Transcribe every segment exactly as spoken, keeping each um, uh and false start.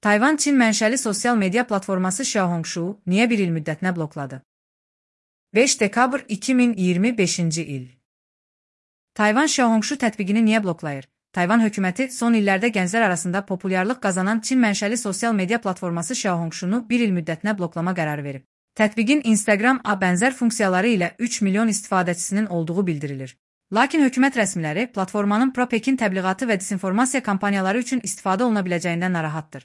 Tayvan Çin mənşəli sosial media platforması Xiaohongshu niyə bir il müddətinə blokladı? beş dekabr iki min iyirmi beşinci il. Tayvan Xiaohongshu tətbiqini niyə bloklayır? Tayvan hökuməti son illərdə gənclər arasında populyarlıq qazanan Çin mənşəli sosial media platforması Xiaohongshunu bir il müddətinə bloklama qərarı verib. Tətbiqin Instagram-a bənzər funksiyaları ilə üç milyon istifadəçisinin olduğu bildirilir. Lakin hökumət rəsmiləri platformanın pro-Pekin təbliğatı və disinformasiya kampaniyaları üçün istifadə oluna biləcəyindən narahatdır.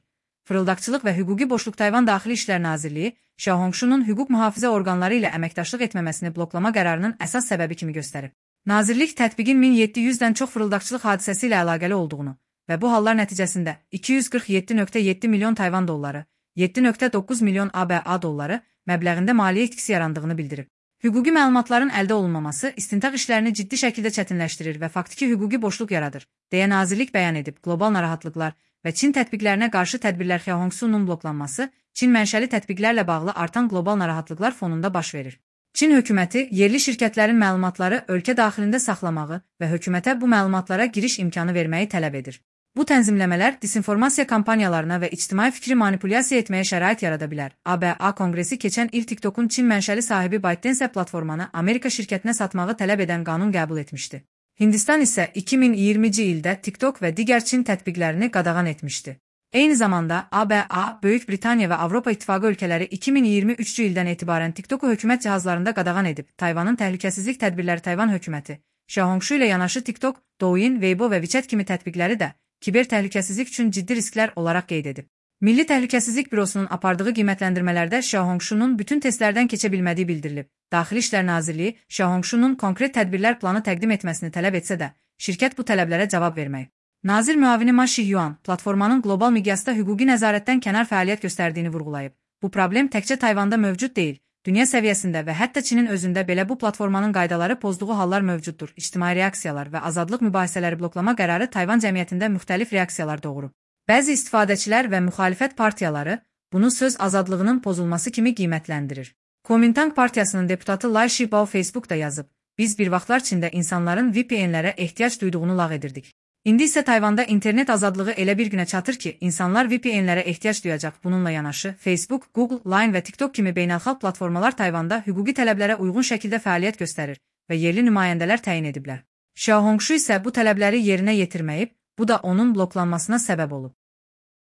Fırıldaqçılıq və Hüquqi Boşluq Tayvan Daxili İşlər Nazirliyi Xiaohongshunun hüquq mühafizə orqanları ilə əməkdaşlıq etməməsini bloklama qərarının əsas səbəbi kimi göstərib. Nazirlik tətbiqin min yeddi yüzdən çox fırıldaqçılıq hadisəsi ilə əlaqəli olduğunu və bu hallar nəticəsində iki yüz qırx yeddi nöqtə yeddi milyon Tayvan dolları, yeddi nöqtə doqquz milyon A B A dolları məbləğində maliyyə itkisi yarandığını bildirib. Hüquqi məlumatların əldə olunmaması istintaq işlərini ciddi şəkildə çətinləşdirir və faktiki hüquqi boşluq yaradır, deyə nazirlik bəyan edib. Qlobal narahatlıqlar və Çin tətbiqlərinə qarşı tədbirlər Xiaohongshunun bloklanması Çin mənşəli tətbiqlərlə bağlı artan qlobal narahatlıqlar fonunda baş verir. Çin hökuməti yerli şirkətlərin məlumatları ölkə daxilində saxlamağı və hökumətə bu məlumatlara giriş imkanı verməyi tələb edir. Bu tənzimləmələr disinformasiya kampaniyalarına və ictimai fikri manipulyasiya etməyə şərait yarada bilər. A B A Konqresi keçən il TikTokun Çin mənşəli sahibi ByteDance platformanı Amerika şirkətinə satmağı tələb edən qanun qəbul etmişdi. Hindistan isə iki min iyirminci ildə TikTok və digər Çin tətbiqlərini qadağan etmişdi. Eyni zamanda A B A, Böyük Britaniya və Avropa İttifaqı ölkələri iki min iyirmi üçüncü ildən etibarən TikToku hökumət cihazlarında qadağan edib. Tayvanın təhlükəsizlik tədbirləri Tayvan hökuməti Xiaohongshu ilə yanaşı TikTok, Douyin, Weibo və WeChat kimi tətbiqləri də kiber təhlükəsizlik üçün ciddi risklər olaraq qeyd edib. Milli Təhlükəsizlik Bürosunun apardığı qiymətləndirmələrdə Xiaohongshunun bütün testlərdən keçə bilmədiyi bildirilib. Daxili İşlər Nazirliyi Xiaohongshunun konkret tədbirlər planı təqdim etməsini tələb etsə də, şirkət bu tələblərə cavab verməyib. Nazir müavini Ma Shiyuan platformanın qlobal miqyasda hüquqi nəzarətdən kənar fəaliyyət göstərdiyini vurğulayıb. Bu problem təkcə Tayvanda mövcud deyil, dünya səviyyəsində və hətta Çinin özündə belə bu platformanın qaydaları pozduğu hallar mövcuddur. İctimai reaksiyalar və azadlıq mübahisələri bloklama qərarı Tayvan cəmiyyətində müxtəlif reaksiyalar doğurub. Bəzi istifadəçilər və müxalifət partiyaları bunu söz azadlığının pozulması kimi qiymətləndirir. Kuomintang partiyasının deputatı Lai Shibao Facebookda yazıb: "Biz bir vaxtlar Çində insanların V P N-lərə ehtiyac duyduğunu lağ edirdik. İndi isə Tayvanda internet azadlığı elə bir günə çatır ki, insanlar V P N-lərə ehtiyac duyacaq." Bununla yanaşı, Facebook, Google, Line və TikTok kimi beynəlxalq platformalar Tayvanda hüquqi tələblərə uyğun şəkildə fəaliyyət göstərir və yerli nümayəndələr təyin ediblər. Xiaohongshu isə bu tələbləri yerinə yetirməyib, bu da onun bloklanmasına səbəb olub.